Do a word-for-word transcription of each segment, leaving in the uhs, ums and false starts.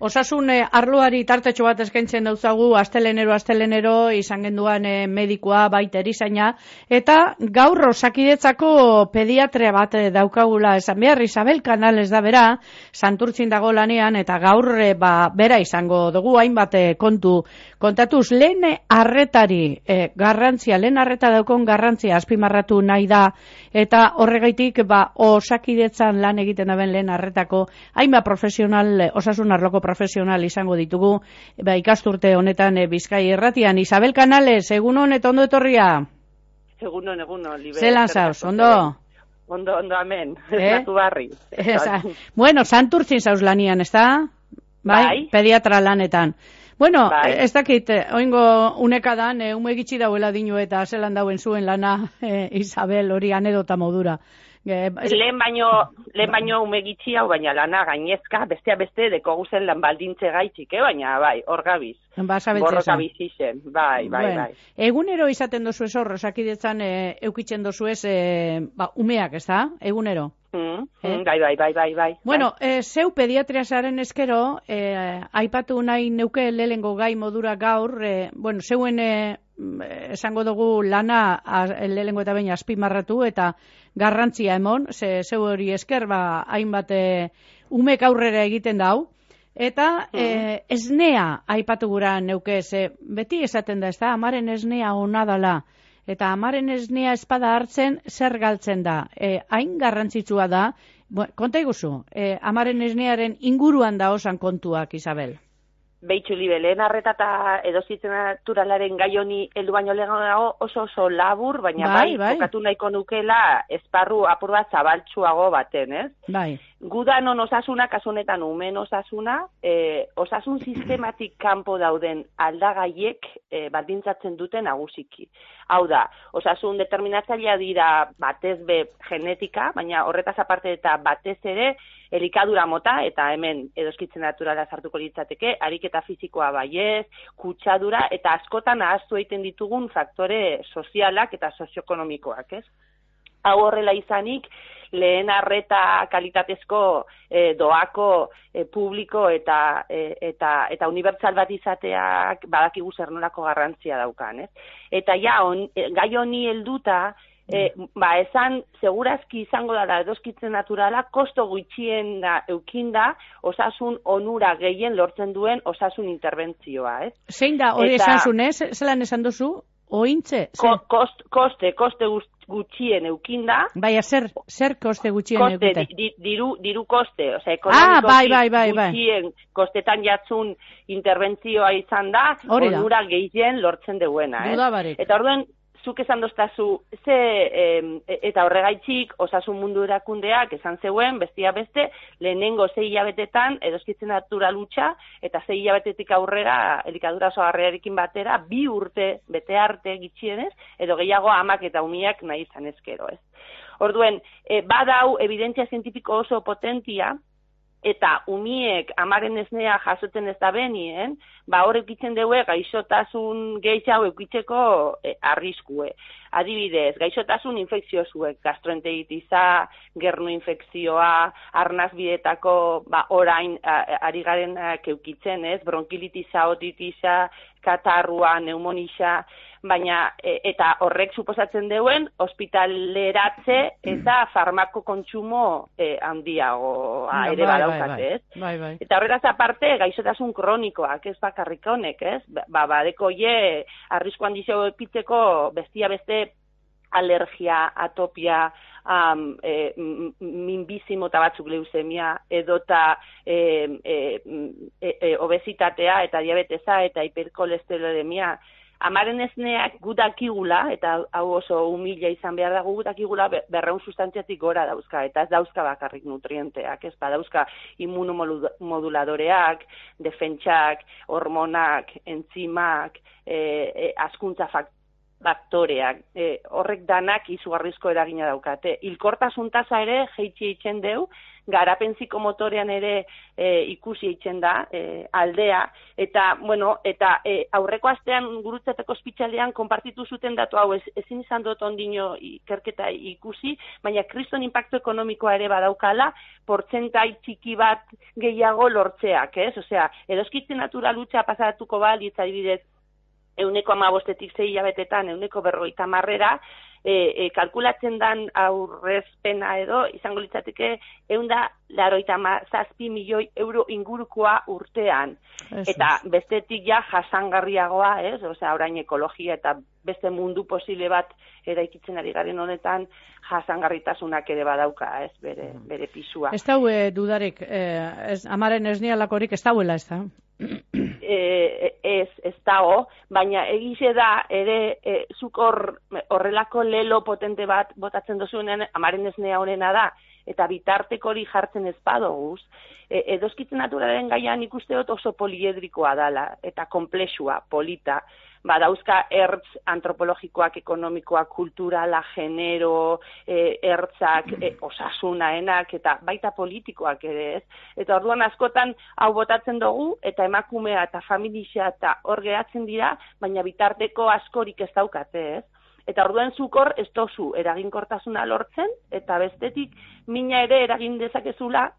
Osasun eh, arloari tartetxo bat eskaintzen dauzagu astelenero astelenero izan genduan eh, medikoa baita erizaina eta gaur Osakidetzako pediatria bat eh, daukagula esan behar Isabel Canales da bera Santurtzin dago lanean eta gaur eh, ba, bera izango dugu hainbat eh, kontu kontatuz lehen arretari eh, garrantzia, lehen arreta daukon garrantzia azpimarratu nahi da eta horregaitik ba, Osakidetzan lan egiten daben lehen arretako hainbat profesional eh, osasun arloko profesional izango ditugu, ba, ikasturte honetan e, Bizkai Irratian. Isabel Canales, egunon eta ondo etorria? Egunon, egunon, libe. Zelan zauz, ondo? Ondo, ondo, amen. Eh? Natu barri. Esa. Bueno, Santurtzin zauz lanian, ez da? Bai? Bai. Pediatra lanetan. Bueno, Bai. ez dakit, oingo unekadan, e, ume gitxi dauela dinu eta zelan dauen zuen lana, e, Isabel, hori anedota modura. E, lehen baino, lehen baino ume gitxi hau, baina lana gainezka, bestea beste deko guzen lan baldintze gaitxik, eh? Baina bai, hor gabiz. Ba, borroka bizi zen, bai, bai, bueno, bai. Egunero izaten dozu ez hor, Osakidetzan e, eukitzen dozu ez, e, ba, umeak, ez da? Egunero. Mm, eh? Bai, bai, bai, bai, bai. Bueno, eh, zeu pediatria zaren eskero, eh, aipatu nahi neuke lehengo gai modura gaur, eh, bueno, zeuen eh, esango dugu lana lehengo eta baina azpimarratu eta garrantzia emon, ze zeu hori esker, ba, hainbat eh, umek aurrera egiten dau, eta eh, esnea aipatu gura neuke, ze beti esaten da, ez da, amaren esnea ona dala, eta amaren esnea espada hartzen zer galtzen da. E, hain garrantzitsua da, bo, konta iguzu, e, amaren esnearen inguruan da osan kontuak, Isabel. Beitxu libe, lehen arreta eta edozitzen naturalaren gai honi heldu baino lehenago oso oso labur, baina bai, bai, kokatu nahiko nukela esparru apur bat zabaltsuago baten, ez? Bai. Gudanon osasuna, kasu honetan umen osasuna, eh, osasun sistematik kanpo dauden aldagaiek eh, baldintzatzen dute nagusiki. Hau da, osasun determinatzailea dira batez be genetika, baina horretaz aparte eta batez ere elikadura mota, eta hemen edoskitzen naturala sartuko litzateke, ariketa fisikoa baiez, kutsadura, eta askotan ahaztu egiten ditugun faktore sozialak eta sozioekonomikoak, ez? Hau horrela izanik, lehen arreta kalitatezko eh, doako eh, publiko eta eh, eta eta unibertsal bat izateak badakigu zer nolako garrantzia daukan, ez? Eta ja on, gai honi helduta E, ba, esan, segurazki izango da edoskitzen naturala, kosto gutxien da, eukinda, osasun onura gehien lortzen duen osasun interbentzioa, ez? Zein da, hori esan zuen, ez? Zelan esan duzu? Ointze? Ko, kost, koste, koste gutxien eukinda. Baina, zer, zer koste gutxien koste, eukite? Di, diru, diru koste, osea, ah, bai, bai, bai, gutxien kostetan jatzun interbentzioa izan da, onura gehien lortzen duena, ez? Dudabarik. Eta orduen, zuk esan doztazu, ze, e, eta horregaitxik, osasun mundu erakundeak esan zeuen, bestia beste, lehenengo zei hilabetetan, edoskitzen natural hutsa, eta zei hilabetetik aurrera, elikadura osagarriarekin batera, bi urte bete arte gitxienez, edo gehiago amak eta umiak nahi izan ezkero, ez. Orduen, e, badau, evidentzia zientifiko oso potentia, eta umiek amaren esnea jasoten ez da benien, ba hor eukitzen dugu gaixotasun gehiago eukitzeko e, arriskue. Adibidez, gaixotasun infekziosuek, gastroenteritisa, gernu infekzioa, arnazbidetako ba, orain a, ari garen eukitzen, ez? Bronkilitisa, otitisa, katarrua, neumonisa, baina e, eta horrek suposatzen duen ospitaleratze eta farmako kontsumo e, handiagoa no, ere badaukate, ez? Bai, bai. Eta horretaz aparte, gaixotasun kronikoak, ez bakarrik honek, ez? Ba, badeko je, arrisku handizio epitzeko bestia beste alergia, atopia, um, e, minbizimo eta batzuk leusemia, edota e, e, e, e, obesitatea eta diabetesa eta hiperkolesterolemia. Amaren esneak gudakigula, eta hau oso humila izan behar dago, gudakigula berreun sustantziatik gora dauzka, eta ez dauzka bakarrik nutrienteak, ez ba dauzka immunomoduladoreak, defentsak, hormonak, entzimak, e, e, askuntza faktoreak, faktoreak, e, horrek danak izugarrizko eragina daukate. Hilkortasun tasa ere jeitsi eitzen deu, garapen psikomotorean ere e, ikusi eitzen da e, aldea, eta, bueno, eta e, aurreko astean Gurutzetako ospitalean konpartitu zuten datu hau, ez, ezin izan dut ondino ikerketa ikusi, baina kriston inpaktu ekonomikoa ere badaukala, portzentai txiki bat gehiago lortzeak, ez? Osea, edoskitze naturalutza pasatuko balitz adibidez, euneko amabostetik zei hilabetetan, euneko berrogeita marrera, e, e, kalkulatzen dan aurrezpena edo, izango litzateke, eunda laroita zazpi milioi euro ingurukoa urtean. Ez, eta bestetik ja jasangarriagoa, ez? Osea, orain ekologia eta beste mundu posible bat eraikitzen ari garen honetan, jasangarritasunak ere badauka, ez, bere, bere pisua. Ez dau e, dudarik, e, ez, amaren esnialakorik ez dauela, ez da? E, ez, ez dago, baina egize da ere e, zuk hor horrelako lelo potente bat botatzen dozuenean amaren esnea honena da, eta bitarteko hori jartzen ez badoguz, e, edoskitze naturalen gaian ikuste dut oso poliedrikoa dala, eta komplexua, polita, badauzka ertz antropologikoak, ekonomikoak, kulturala, genero, e, ertzak, e, osasunaenak, eta baita politikoak ere ez. Eta orduan askotan hau botatzen dugu, eta emakumea eta familia eta hor geratzen dira, baina bitarteko askorik ez daukate ez. Eta orduan zukor ez dozu eraginkortasuna lortzen, eta bestetik mina ere eragin dezakezula,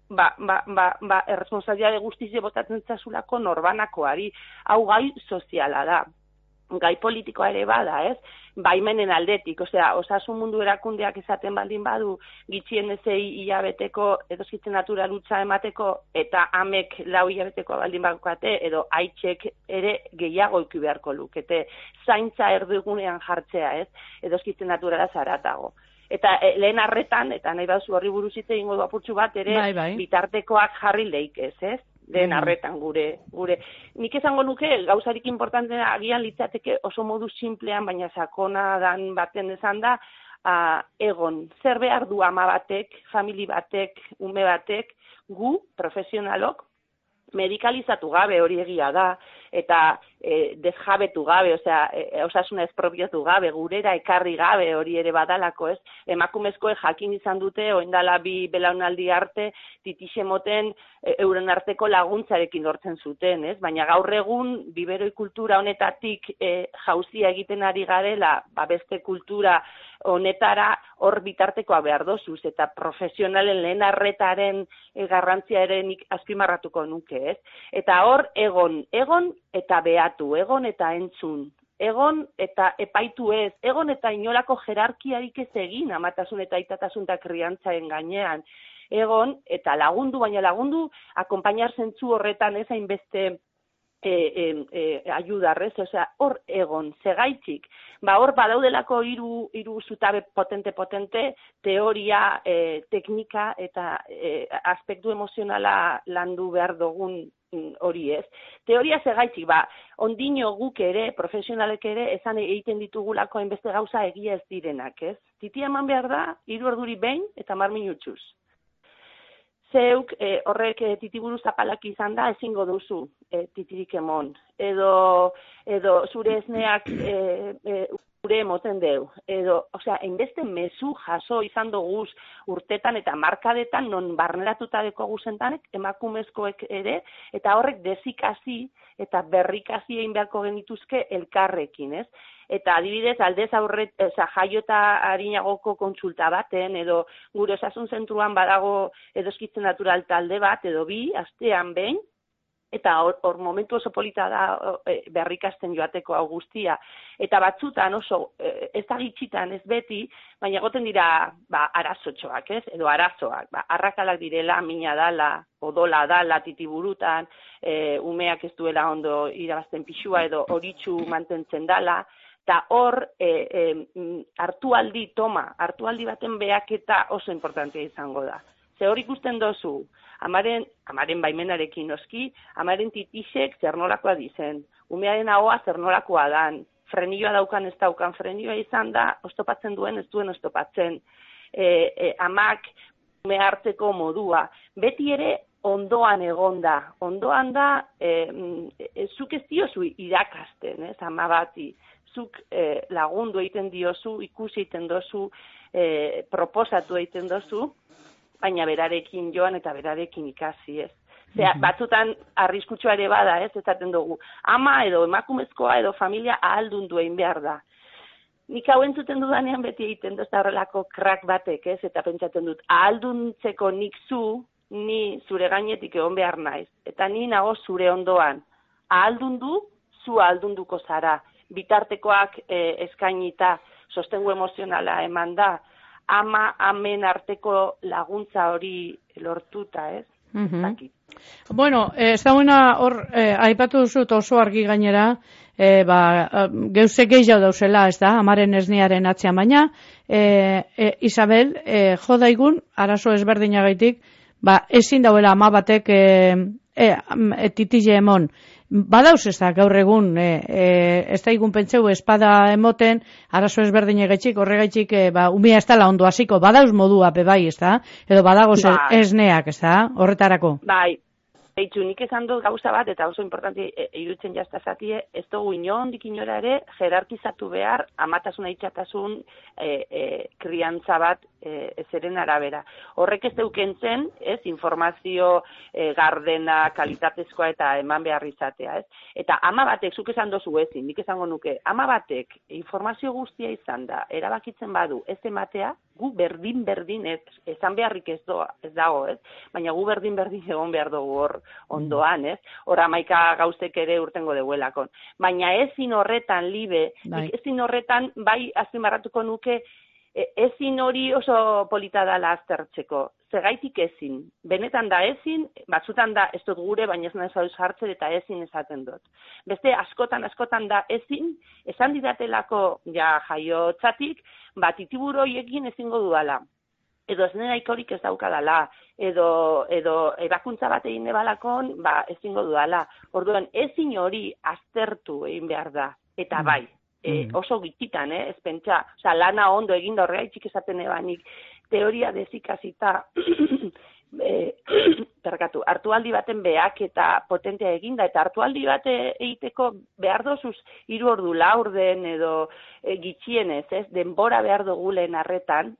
ba, ba, ba, ba erresponsabilitate guztizie botatzen zazulako norbanakoari, hau gai soziala da. Gai politikoa ere bada, ez? Baimenen aldetik, osea, osasun mundu erakundeak izaten baldin badu, gitxien ezei hilabeteko edoskitzen naturalutza emateko, eta amek lau hilabeteko baldin badukate, edo aitzek ere gehiago eki beharko lukete, zaintza erdigunean jartzea, ez? Edoskitzen naturala zaratago. Eta e, lehen arretan, eta nahi bauzu horri buruz hitz egingo du apurtxu bat, ere bai, bai. bitartekoak jarri leikez, ez? Den arretan gure, gure. Nik esango nuke, gauzarik importantena agian litzateke oso modu simplean, baina sakona dan baten esan da, a, egon, zer behar du ama batek, famili batek, ume batek, gu, profesionalok, medikalizatu gabe hori egia da, eta e, desjabetu gabe, osea, e, osasuna espropiatu gabe, gurera ekarri gabe hori ere badalako, ez? Emakumezkoek jakin izan dute, oindala bi belaunaldi arte, titixe moten e, euren arteko laguntzarekin lortzen zuten, ez? Baina gaur egun, biberoi kultura honetatik e, jauzia egiten ari garela, ba beste kultura honetara hor bitartekoa behar dozuz, eta profesionalen lehen arretaren e, garrantzia ere nik azpimarratuko nuke, ez? Eta hor, egon, egon eta behatu, egon eta entzun, egon eta epaitu ez, egon eta inolako jerarkiarik ez egin, amatasun eta aitatasun eta kriantzaren gainean, egon eta lagundu, baina lagundu, akompainar zentzu horretan ez hainbeste E, e, e, ayudarrez, osea, hor egon, segaitzik, ba hor badaudelako hiru hiru zutabe potente-potente, teoria, e, teknika eta e, aspektu emozionala landu behar dugun hori ez. Teoria segaitzik, ba, ondino guk ere, profesionalek ere, esan egiten ditugulako hainbeste gauza egia ez direnak, ez? Titia eman behar da, hiru orduri behin eta mar minutxuz. Zeuk e, horrek e, titiburu zapalak izan da, ezingo duzu e, titirik emon. Edo, edo zure esneak e, e, ure emoten deu. Edo, osea, hainbeste mezu jaso izan duguz urtetan eta markadetan non barneratuta deko guzentanek, emakumezkoek ere, eta horrek dezikasi eta berrikasi egin beharko genituzke elkarrekin, ez? Eta adibidez, aldez aurret, eza, jaio eta harinagoko kontsulta baten, edo gure osasun zentruan badago edoskitzen natural talde bat, edo bi, astean behin, eta hor, hor momentu oso polita da e, berrikasten joateko hau guztia. Eta batzutan oso, e, ez da gitxitan, ez beti, baina egoten dira ba, arazotxoak, ez? Edo arazoak, ba, arrakalak direla, mina dala, odola dala, titiburutan, e, umeak ez duela ondo irabazten pixua, edo horitxu mantentzen dala, eta hor e, e, hartualdi toma, hartualdi baten behaketa oso importantea izango da. Ze hor ikusten dozu, amaren, amaren baimenarekin noski, amaren titixek zer nolakoa dizen, umearen ahoa zer nolakoa dan, frenioa daukan ez daukan, frenioa izan da, oztopatzen duen ez duen oztopatzen, e, e, amak ume hartzeko modua, beti ere ondoan egonda, ondoan da, e, e, zuk ez diozu irakasten, ez, ama bati, zuk e, lagundu egiten diozu, ikusi egiten dozu, e, proposatu egiten dozu, baina berarekin joan eta berarekin ikasi, ez. Zera, batzutan arriskutsua ere bada, ez, ezaten dugu. Ama edo emakumezkoa edo familia ahaldundu egin behar da. Nik hau entzuten dudanean beti egiten dut horrelako krak batek, ez, eta pentsatzen dut, ahalduntzeko nik zu, ni zure gainetik egon behar naiz. Eta ni nago zure ondoan. Ahaldundu, zu ahaldunduko zara. Bitartekoak e, eskainita, sostengu emozionala eman da, ama, amen arteko laguntza hori lortuta, ez? Mm-hmm. Bueno, ez dagoena hor, eh, aipatu duzut oso argi gainera, eh, ba, geuzek gehiago dauzela, ez da, amaren esnearen atzean, baina, eh, eh, Isabel, eh, jo daigun, arazo ezberdinagaitik, ba, ezin dauela ama batek eh, eh, titile emon. Badauz ez da, gaur egun, e, e, ez da igun pentseu espada emoten, arazo ezberdinegaitxik, horregaitxik, e, ba, umia ez dala ondo hasiko, badauz modua bebai, ez da? Edo badagoz bai. Esneak, ez da? Horretarako. Bai, Eitzu, nik esan dut gauza bat, eta oso importanti e, irutzen jazta zatie, ez dugu inondik inora ere, jerarkizatu behar, amatasuna itxatasun e, e, kriantza bat e, ezeren arabera. Horrek ez deukentzen, ez, informazio e, gardena, kalitatezkoa eta eman behar izatea, ez? Eta ama batek, zuk esan dozu ezin, nik esango nuke, ama batek informazio guztia izan da, erabakitzen badu ez ematea, gu berdin-berdin, ez, esan beharrik ez, doa, ez dago, ez? Baina gu berdin-berdin egon behar dugu hor ondoan, ez? Hor amaika gauzek ere urtengo deuelakon. Baina ezin horretan, libe, ezin horretan, bai azpimarratuko nuke, ezin hori oso polita dala aztertzeko. Zegaitik ezin. Benetan da ezin, batzutan da ez dut gure, baina ez nahez hau jartzen eta ezin esaten dut. Beste askotan, askotan da ezin, esan didatelako ja jaiotzatik, bat itiburoiekin ezingo dudala. Edo ez neraikorik ez daukadala, edo, edo ebakuntza bat egin ebalakon, ba, ezingo dudala. Orduan, ezin hori aztertu egin behar da, eta bai. E, oso gititan, eh, ez pentsa, oza, lana ondo eginda horregaitxik esaten ebanik, teoria dezikazita, e, perkatu, hartualdi baten behak eta potentea eginda, eta hartualdi bate egiteko behar dozuz hiru ordu laurden edo e, gitxienez, ez, denbora behar dugu lehen arretan,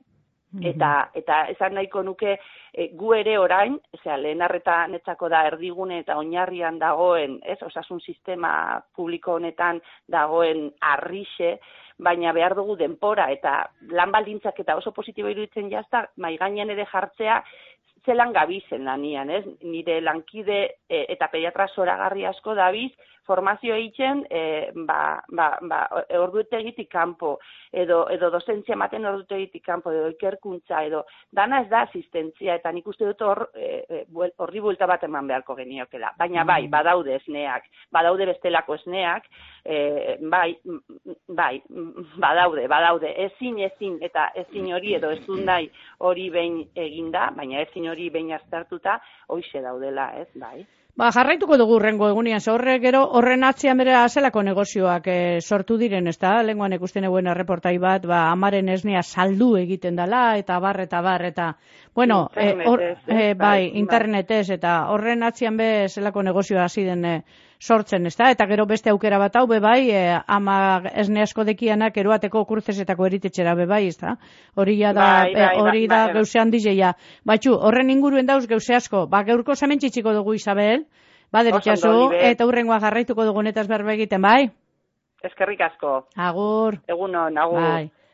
Eta, eta esan nahiko nuke e, gu ere orain, osea, lehen arreta netzako da erdigune eta oinarrian dagoen, ez, osasun sistema publiko honetan dagoen arrixe, baina behar dugu denpora eta lan baldintzak eta oso positibo iruditzen jazta, mai gainean ere jartzea, zelan gabizen lanian, ez? Nire lankide e, eta pediatra zoragarri asko dabiz, formazio egiten, e, ba, ba, ba, ordutegitik kanpo, edo, edo dozentzia ematen ordutegitik kanpo, edo ikerkuntza, edo dana ez da asistentzia, eta nik uste dut hor, e, horri buelta bat eman beharko geniokela. Baina bai, badaude esneak, badaude bestelako esneak, e, bai, bai, badaude, badaude, ezin, ezin, eta ezin hori, edo ez dut nahi hori behin eginda, baina ezin hori behin aztertuta, hoixe daudela, ez, bai. Ba, jarraituko dugu rengo egunian, horre gero horren atzian bera zelako negozioak e, sortu diren, ez da? Lenguan ikusten eguen erreportai bat, ba, amaren esnea saldu egiten dela, eta bar, eta bar, eta, bueno, internetez, e, or, eh? e, bai, bai, internetez, eta horren atzian be zelako negozioa hasi den e, sortzen, ez da? Eta gero beste aukera bat hau, be bai, e, ama esne asko dekianak eroateko kurtzesetako eritetxera, be bai, ez da? Hori da, bai, bai, hori bai, da bai, geuze handizeia. Batxu, horren inguruen dauz geuze asko, ba, geurko zamentxitxiko dugu, Isabel, baderitxazu, eta hurrengoa jarraituko dugunetaz berbe egiten, bai? Eskerrik asko. Agur. Egunon, agur. Bai.